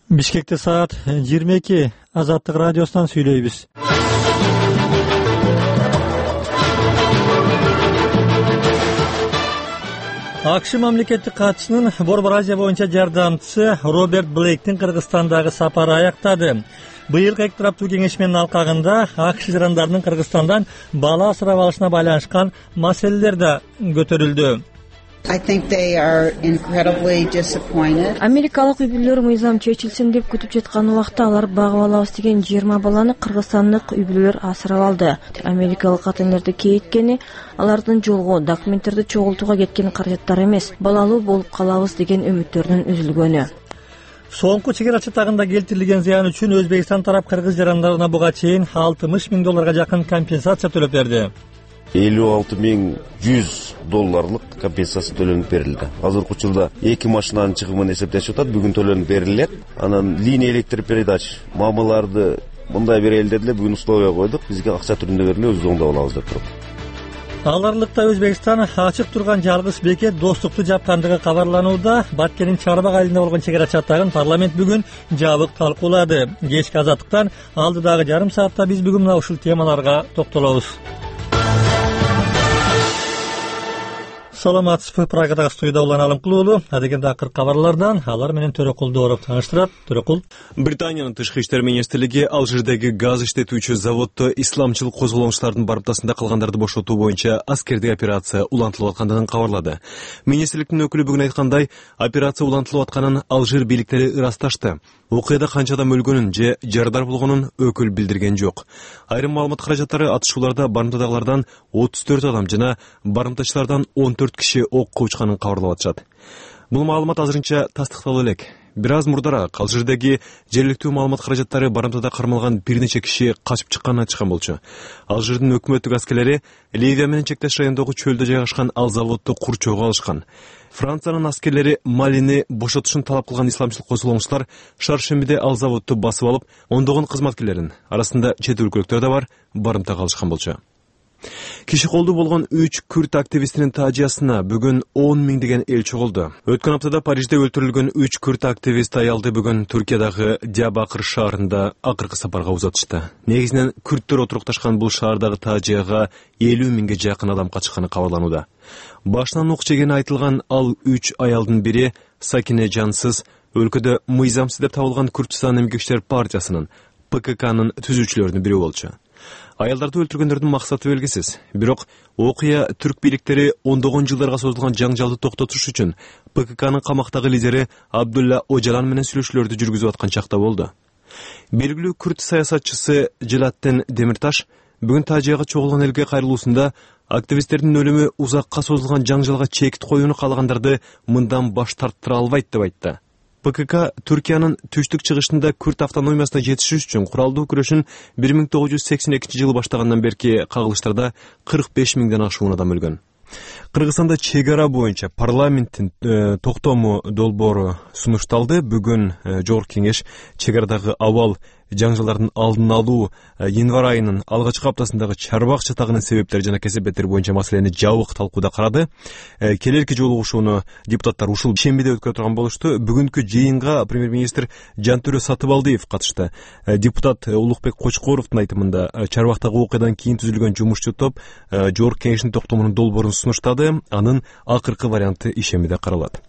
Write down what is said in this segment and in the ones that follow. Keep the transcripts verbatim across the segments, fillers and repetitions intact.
Бишкекте саат жыйырма эки. Азаттык радиосунан сүйлөйбүз. АКШ мамлекеттик катчысынын Борбор Азия боюнча жардамчысы Роберт Блейктин Кыргызстандагы сапары аяктады. Быйылкы эки тараптуу кеңешменин алкагында АКШ жарандарынын Кыргызстандан бала асырап алышына байланышкан маселелер да көтөрүлдү. Америкалык үй бүлөлөр мыйзам чечилсин деп күтүп жаткан убакта алар багып алабыз деген жыйырма баланы кыргызстандык үй бүлөлөр асырап алды. Америкалык ата-энелерди кейиткени алардын жолго документтерди чогултууга кеткен каражаттар эмес, балалуу болуп калабыз деген үмүттөрүнүн үзүлгөнү. Соңку чек ара чатагында келтирилген зыян үчүн Өзбекстан тарап кыргыз жарандарына буга чейин алтымыш миң долларга жакын компенсация төлөп берди. элүү алты миң жүз долларлык компенсация төлөнүп берилди. Азыркы учурда эки машинанын чыгымын эсептешип атат, бүгүн төлөнүп берилет. Анан линия электропередач мамаларды мындай берели дедилер, бүгүн условия койдук, бизге акча түрүндө бериле, өзүбүз оңдоп алабыз деп туруп. Аларлыкта Өзбекстан ачык турган жалгыз бекет достукту жапкандыгы кабарланууда. Баткенин Чарбак айылында болгон чек ара чатагын парламент бүгүн жабык талкуулады. Кечки Азаттыктан алдыдагы жарым саатта биз бүгүн мына ушул темаларга токтолобуз. Саламатсызбы, Прагадагы студияда Улан Алымкулуулу. Адегенде акыркы кабарлардан алар менен Төрөкул Дооров тааныштырат. Төрөкул. Британиянын тышкы иштер министрлиги Алжирдеги газ иштетүүчү заводдо исламчыл козголоңчулардын барымтасында калгандарды бошотуу боюнча аскердик операция улантылып аткандыгын кабарлады. Министрликтин өкүлү бүгүн айткандай, операция улантылып атканын Алжир бийликтери ырасташты. Окуяда канча адам өлгөнүн же жарадар болгонун өкүл билдирген жок. Айрым маалымат каражаттары атышууларда барымтадагылардан отуз төрт адам жана барымтачылардан он төрт киши окко учканын кабарлап атышат. Бул маалымат азырынча тастыкталып элек. Бир аз мурдараак Алжирдеги жергиликтүү маалымат каражаттары барымтада кармалган бир нече киши качып чыкканын айтышкан болчу. Алжирдин өкмөттүк аскерлери Ливия менен чектеш райондогу чөлдө жайгашкан ал заводду курчоого алышкан. Франциянын аскерлери Малини бошотушун талап кылган исламчыл козголоңчулар шаршембиде ал заводду басып алып, ондогон кызматкерлерин, арасында чет өлкөлүктөр да бар, барымтага алышкан болчу. Киши колдуу болгон үч күрд активистинин таажиясына бүгүн он миң деген эл чогулду. Өткөн аптада Парижде өлтүрүлгөн үч күрд активист аялды бүгүн Түркиядагы Диябакыр шаарында акыркы сапарга узатышты. Негизинен күрдтөр отурукташкан бул шаардагы таажияга элүү миңге жакын адам качканы кабарланууда. Башынан ук жегени айтылган ал үч аялдын бири Сакине Жансыз, өлкөдө мыйзамсыз деп табылган Күрдстан эмгекчилер партиясынын П К К'нын түзүүчүлөрүнүн бири болчу. Аялдарды өлтүргөндөрдүн максаты белгисиз. Бирок окуя түрк бийликтери ондогон жылдарга созулган жаңжалды токтотуш үчүн П К К'нын камактагы лидери Абдулла Ожалан менен сүйлөшүүлөрдү жүргүзүп аткан чакта болду. Белгилүү күрд саясатчысы Желаттен Демирташ бүгүн таажияга чогулган элге кайрылуусунда активисттердин өлүмү узакка созулган жаңжалга чекит коюуну каалагандарды мындан баш тарттыра албайт деп айтты. П К К Түркиянын түштүк чыгышында күрд автономиясына жетишиш үчүн куралдуу күрөшүн бир миң тогуз жүз сексен экинчи жылы баштагандан берки кагылыштарда кырк беш миңден ашуун адам өлгөн. Кыргызстанда чек ара боюнча парламенттин э, токтому долбоору сунушталды. Бүгүн э, Жогорку кеңеш чек арадагы абал жаңжалдардын алдын алуу э, январь айынын алгачкы аптасындагы Чарбак чатагынын себептери жана кесепеттери боюнча маселени жабык талкууда карады. Э, келерки жолугушууну депутаттар ушул шембиде өткөрө турган болушту. Бүгүнкү жыйынга премьер-министр Жантөрө Сатыбалдиев катышты. Э, депутат э, Улукбек Кочкоровдун айтымында э, Чарбактагы окуядан кийин түзүлгөн жумушчу топ э, Жогорку кеңештин токтомунун долбоорун сунуштады. Анын акыркы варианты ишембиде каралат.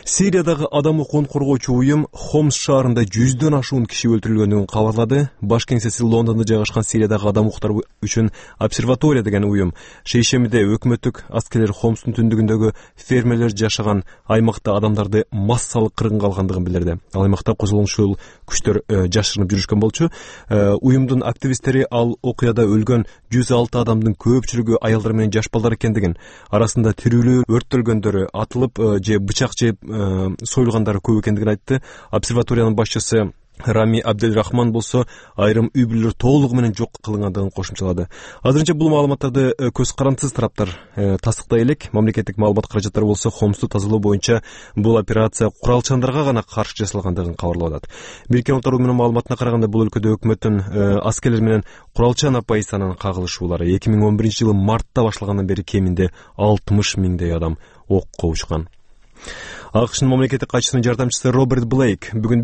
Сириядагы адам укугун коргоочу уюм Хомс шаарында жүздөн ашуун киши өлтүрүлгөндүгүн кабарлады. Баш кеңсеси Лондондо жайгашкан Сириядагы адам укуктары үчүн обсерватория деген уюм шейшембиде өкмөттүк аскерлер Хомстун түндүгүндөгү фермерлер жашаган аймакта адамдарды массалык кыргынга алгандыгын билдирди. Ал аймакта козголоңчул күчтөр э, жашырынып жүрүшкөн болчу. Э, уюмдун активисттери ал окуяда өлгөн жүз алты адамдын көпчүлүгү аялдар менен жаш балдар экендигин, арасында тирүүлөр, өрттөлгөндөрү, атылып э, же бычак жеп э, союлгандары көп экендигин айтты. Обсерваториянын башчысы Рами Абделрахман болсо айрым үй бүлөлөр толугу менен жок кылынгандыгын кошумчалады. Азырынча бул маалыматтарды көз карандысыз тараптар э, тастыктай элек. Мамлекеттик маалымат каражаттары болсо Хомсту тазалоо боюнча бул операция куралчандарга гана каршы жасалгандыгын кабарлап атат. Бириккен Улуттар уюмунун маалыматына караганда бул өлкөдө өкмөттүн э, аскерлер менен куралчан оппозициянын кагылышуулары эки миң он биринчи жылы мартта башталгандан бери кеминде алтымыш миңдей адам окко учкан. АКШнын мамлекеттик катчысынын жардамчысы Роберт Блейк бүгүн